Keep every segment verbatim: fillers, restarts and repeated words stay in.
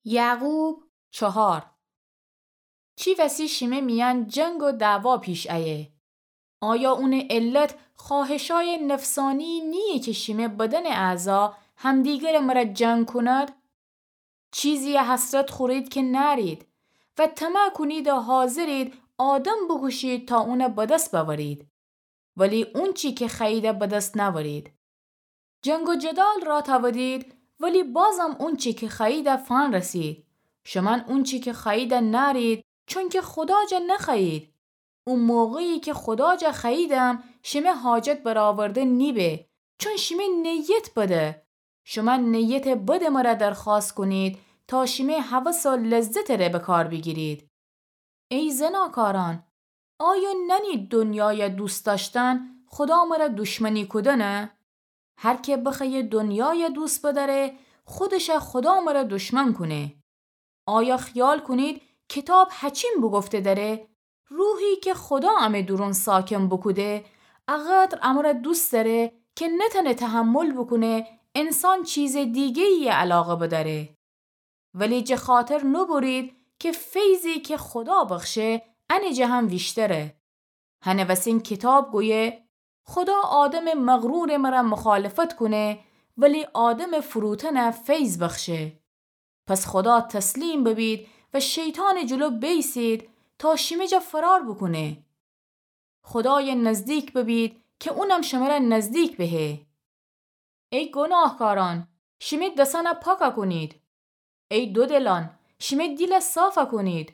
یعقوب چهار. چی وسی شیمه میأن جنگ و دعوا پیش ایه؟ آیا اونٚ علت خواهشای نفسانی نییه که شیمه بدنٚ اعضا همدیگرٚ مرأ جنگ کونید؟ چیزیی حسرت خورید که نأرید و طمع کونید و حاضرید آدم بوکوشید تا اونَ به دس بأورید، ولی اونچی که خوأیید به دس نأورید. جنگ و جدال رأ تأودید، ولی بازم اونچی که خوأیید فنرسید. شومأن اونچی که خوأیید نأرید، چونکه خودا جا نخوأیید. او موقعی که خودا جا خوأییدم، شیمه حاجت برآورده نیبه، چون شیمه نیت بده. شومأن نیتٚ بدٚ مرأ درخوأست کونید تا شیمه هوس و لذتٚ ره به کار بیگیرید. ای زناکارأن، آیا نأنید دنیای دوست دأشتن خودا مرأ دشمنی کودنه؟ هر که بخوأیه دنیای دوست بدأره، خودشَ خودا مرأ دشمن کونه. آیا خیال کونید کیتاب هچین بوگفته دأره؟ روحی که خودا امه دورون ساکن بوکوده، اقدر امرأ دوست دأره که نتأنه تحمل بوکونه انسان چیزٚ دیگه‌یی علاقه بدأره. ولی جٚه خاطر نوبرید که فیضی که خودا بخشه، انٚ جٚه هم ویشتره. هنٚ وسین کیتاب گویه، خودا آدمٚ مغرورٚ مرأ مخالفت کونه، ولی آدمٚ فروتنَ فیض بخشه. پس خودا تسلیم ببید و شیطانٚ جلو بیسید تا شیمه جا فرار بوکونه. خودایَ نزدیک ببید که اونم شمرأ نزدیک بهه. ای گوناهکارأن، شیمه دسأنَ پاکَ کونید. ای دودلأن، شیمه دیلَ صافَ کونید.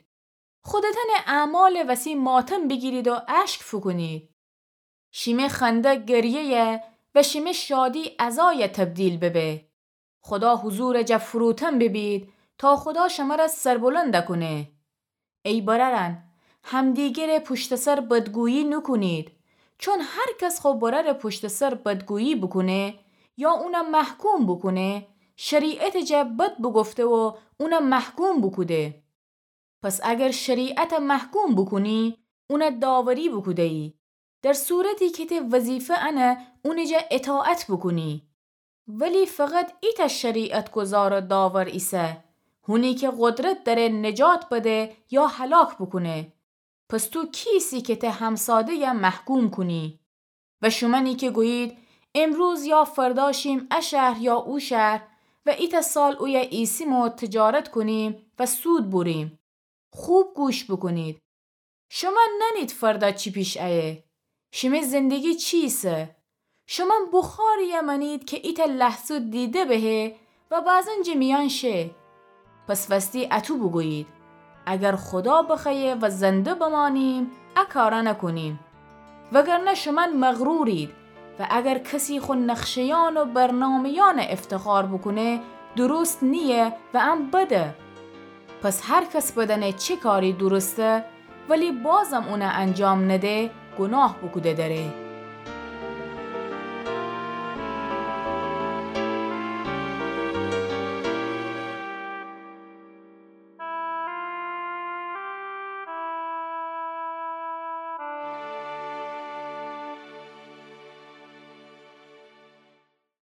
خودتأنٚ اعمالٚ وسی ماتم بیگیرید و اشک فوکونید. شیمه خنده گریه‌یَ و شیمه شادی عزایَ تبدیل ببه. خودا حضورٚ جا فروتن ببید تا خودا شمرأ سربلندَ کونه. ای برأرأن، همدیگرٚ پشتٚ سر بدگویی نوکونید، چون هر کس خو برأرٚ پشتٚ سر بدگویی بوکونه یا اونَ محکوم بوکونه، شریعتٚ جا بد بوگفته و اونَ محکوم بوکوده. پس اگر شریعتَ محکوم بوکونی، اونَ داوری بوکوده‌یی، در صورتی که ته وظیفه انه اونٚ جا اطاعت بوکونی. ولی فقط ایتأ شریعت‌گذار و داور ایسه، هونی که قدرت دأره نجات بده یا هلاک بوکونه. پس تو کی ایسی که ته همساده‌یَ محکوم کونی؟ و شومأنی که گویید، امروز یا فردا شیم ا شهر یا او شهر و ایتأ سال اویه ایسیم و تجارت کونیم و سود بوریم. خوب گوش بوکونید. شومأن نأنید فردا چی پیش ایه. شیمه زندگی چی ایسه؟ شومأن بخاری‌یَ مأنید که ایتأ لحظه دیده بهه و بعضاً جٚه میأن شه. پس وستی اطو بوگویید، اگر خودا بخوأیه و زنده بمأنیم، ا کارأنَ کونیم. وگرنه شومأن مغرورید و اگر کسی خو نقشه‌یأن و برنامه‌یأنَ افتخار بوکونه، درست نییه و ان بده. پس هر کس بدأنه چه کاری درسته، ولی بازم اونَ انجام نده، گوناه بوکوده دأره.